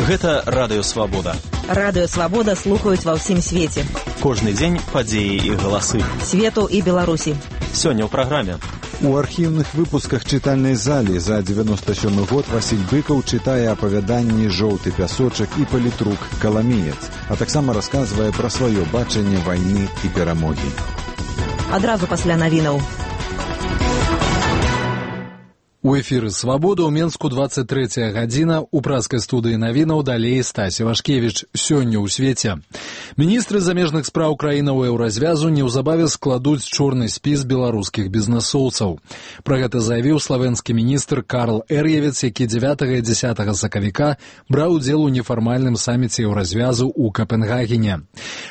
Гэта Радыё Свабода. Радыё Свабода слухаюць ва ўсім свеце. Кожны дзень падзеі і галасы. Свету і Беларусі. Сёння ў праграме. У архіўных выпусках чытальнай залі за 97 год Васіль Быкаў чытае апавяданні «Жоўты пясочак» і «Палітрук. Каламеец», а таксама расказвае пра сваё бачанне вайны і перамогі. Адразу пасля навінаў. У эфіры «Свабода» ў Менску 23 гадзіна. У праскай студыі навінаў далей Стасі Вашкевіч. Сёння ў свеце. Міністры замежных спраў краінаў еўразвязу неўзабаве складуць чорны спіс беларускіх бізнэсоўцаў. Пра гэта заявіў славенскі міністр Карл Эр'евец, які 9 і 10 сакавіка браў удзел у нефармальным саміце еўразвязу ў Капенгагене.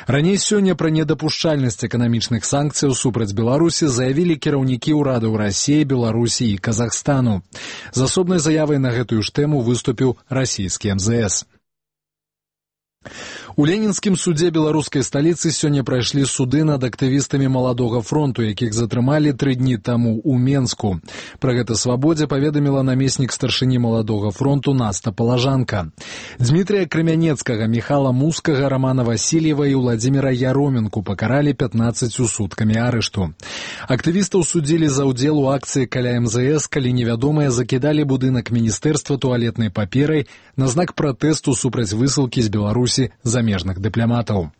Раней сёння пра недапушчальнасць эканамічных санкцыяў супраць Беларусі заявілі кіраўнікі ўрадаў Расіі, Беларусі і Казахстану. З асобнай заявай на гэтую ж тэму выступіў расійскі МЗС. У Ленінскім судзе беларускай сталіцы сёння прайшлі суды над актывістамі Маладога фронту, якіх затрымалі 3 дні таму ў Менску. Пра гэта «Свабодзе» паведаміла намеснік старшыні Маладога фронту Наста Палажанка. Дмітрия Крамянецкага, Михала Мускага, Романа Васильева і Владзіміра Яроменку пакаралі 15 суткамі арышту. Актывістаў судзілі за ўдзел у акцыі каля МЗС, калі невядомыя закідалі будынак міністэрства туалетнай паперай на знак пратэсту супраць высылкі з Беларусі замежных дыпламатаў.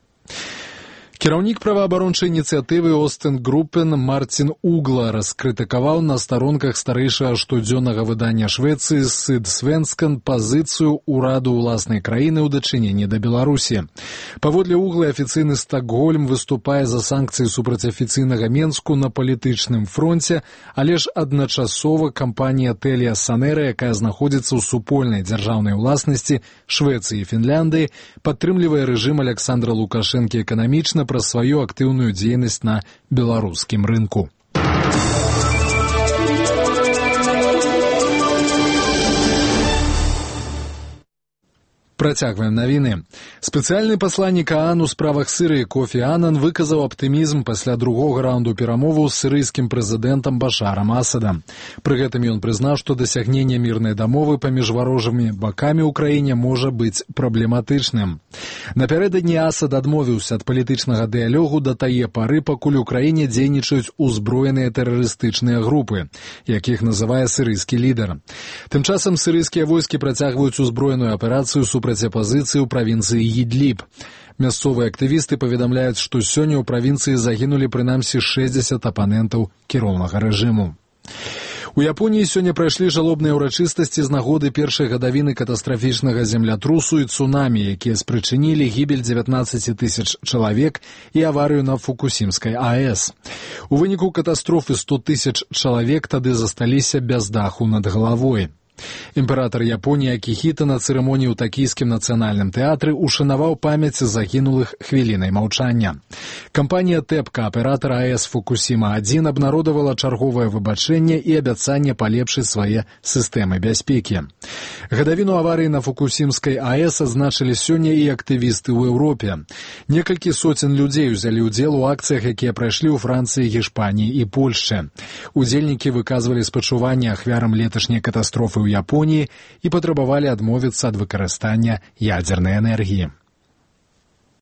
Кіраўнік праваабарончай ініцыятывы Остен Группен Мартин Угла раскрытыкаваў на старонках старэйшага штодзённага выдання Швецыі «Сыдсвенскан» пазіцыю ўраду ўласнай краіны ў дачыненні да Беларусі. Паводле Углы, афіцыйны Стакгольм выступае за санкцыі супраць афіцыйнага Менску на палітычным фронце, але ж адначасова кампанія Телія Санера, якая знаходзіцца ў супольнай дзяржаўнай уласнасці Швецыі і Фінляндыі, падтрымлівае рэжым Александра Лукашэнкі эканамічна пра сваю актыўную дзейнасць на беларускім рынку. Працягваем навіны. Спецыяльны пасланнік ААН у справах Сірыі Кофі Анан выказаў аптымізм пасля другога раунду перамоваў з сірыйскім прэзідэнтам Башарам Асадам. Пры гэтым ён прызнаў, што дасягненне мірнай дамовы паміж варожымі бакамі ў краіне можа быць праблематычным. Напярэдадні Асад адмовіўся ад палітычнага дыялогу да тае пары, пакуль у краіне дзейнічаюць узброеныя тэрарыстычныя групы, якіх называе сірыйскі лідар. Тым часам сірыйскія войскі працягваюць узброеную аперацыю супраць апазіцыі ў правінцыі Ідліб. Мясцовыя актывісты паведамляюць, што сёння ў правінцыі загінулі прынамсі 60 апанентаў кіроўнага рэжыму. У Японіі сёння прайшлі жалобныя ўрачыстасці з нагоды першай гадавіны катастрафічнага землятрусу і цунамі, якія спрычынілі гібель 19 тысяч чалавек і аварыю на Фукусімскай АЭС. У выніку катастрофы 100 тысяч чалавек тады засталіся без даху над галавой. Імператар Японіі Акіхіта на цырымоніі ў Такійскім нацыянальным тэатры ушанаваў памяць загінулых хвілінай маўчання. Кампанія ТЭПКА, аператар АЭС Фукусіма-1, абнародавала чарговае выбачэнне і абяцанне палепшыць свае сістэмы бяспекі. Гадавіну аварыі на Фукусімскай АЭС адзначылі сёння і актывісты ў Еўропе. Некалькі соцень людзей узялі ўдзел у акцыях, якія прайшлі ў Францыі, Гішпаніі і Польшчы. Удзельнікі выказвалі спачуванне ахвярам леташняй катастрофы ў Японіі і патрабавалі адмовіцца ад выкарыстання ядзернай энергіі.